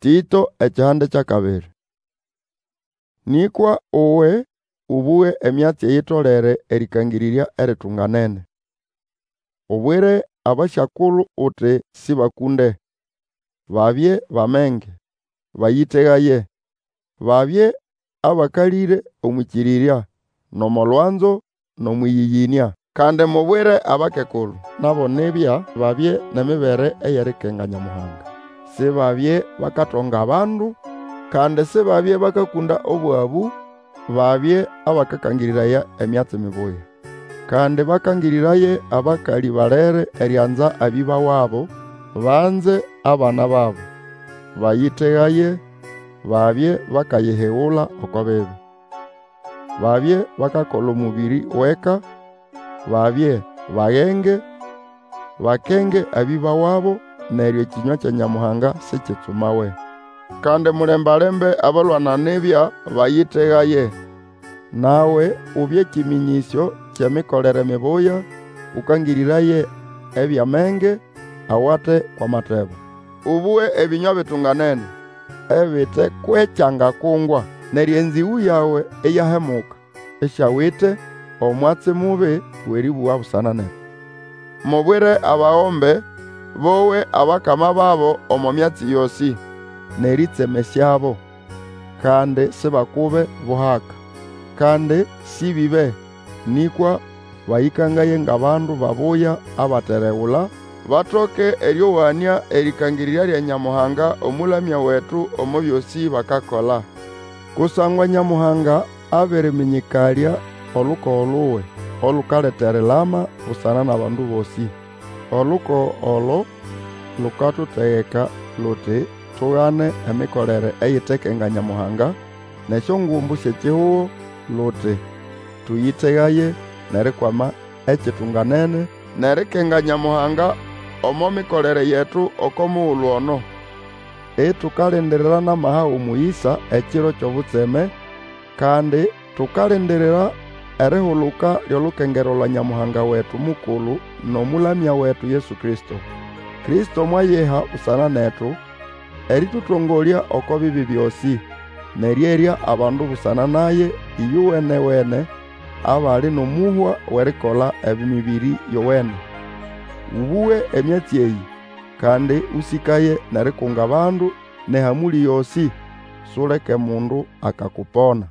Tĩto ekihande ky'akabiri. Nĩkwa uwe ũbũge emyatsi eyitolere erĩkangĩrĩrya eritunganene. Ubwire abasyakulu uti sĩbakũnde, babye b'amenge, bayĩtegaye, babye abakalĩre omw'ĩkĩrĩrya, n'omo lwanzo, n'omw'ĩyĩyĩnĩa. Kandi mubwire abakekulu, nabo nibya babye n'emibere ey'erikenga Nyamuhanga. Sibabye bakatonga abandu, kandi sibabye bakakũnda obwabũ, babye abakakangĩrĩraya emyatsi mibuya. Kandi bakangĩrĩraye abakalĩ balere erianza abĩba wabo, banze abana babo, bayĩtegaye, babye bakayihigula oko bibi. Babye bakakola omũbĩrĩ w'eka, babye bagenge, bakenge abĩba wabo, neryo ekĩnywa kya Nyamuhanga sikitsumawe. Kandi mulembalembe abalwana nibya, bayĩtegaye. Nawe ubye kĩmĩnyĩsyo ky'emikolere mibuya, ũkangĩrĩraye eby'amenge awate kw'amatebo. Ũbũge ebĩnywa bitunganene, ebite kw'ekyangakungwa. Neryo enzĩgũ yawe iyahemuka, isiawite omwatsi mubi w'erĩbũga busana netu. Mubwire abagombe bowe abakama babo omo myatsi yosĩ, n'erĩtsemesyabo, kandi sibakube buhaka. Kandi sĩbĩbe, nĩkwa bayĩkangaye ng'abandu babuya abateregula, batoke erĩowanĩa erĩkangĩrĩrya lya Nyamuhanga Omũlamya wetu omo byosĩ bakakola. Kusangwa Nyamuhanga abĩrĩmĩnyĩkalya olukogo luwe, olukaleta erilama busana n'abandu bosĩ. Olukogo olo lukatutegeka luti tugane emikolere eyitekenga Nyamuhanga, n'esyongumbu sy'ekihugo, luti tũyĩtegaye n'erikwama ekitunganene, n'erikenga Nyamuhanga omo mikolere yetu oko mugulu ono. Itukalindirira n'amaha g'omũyĩsa ekiro ky'obutseme, kandi tukalindirira erihuluka ly'olukengerwa lwa Nyamuhanga wetu mukulu n'Omũlamya wetu Yesu Kristo. Kristo mwayiha busana netu, erĩtũtongolya oko bibi byosĩ, n'erĩerya abandu busana naye ĩyowene-wene abali n'omũhwa w'erikola emĩbĩrĩ yowene. Ũbũge emyatsi eyĩ, kandi ũsĩkaye n'erikunga abandu n'ehamũlĩ yosĩ. Suleke mundu akakupona.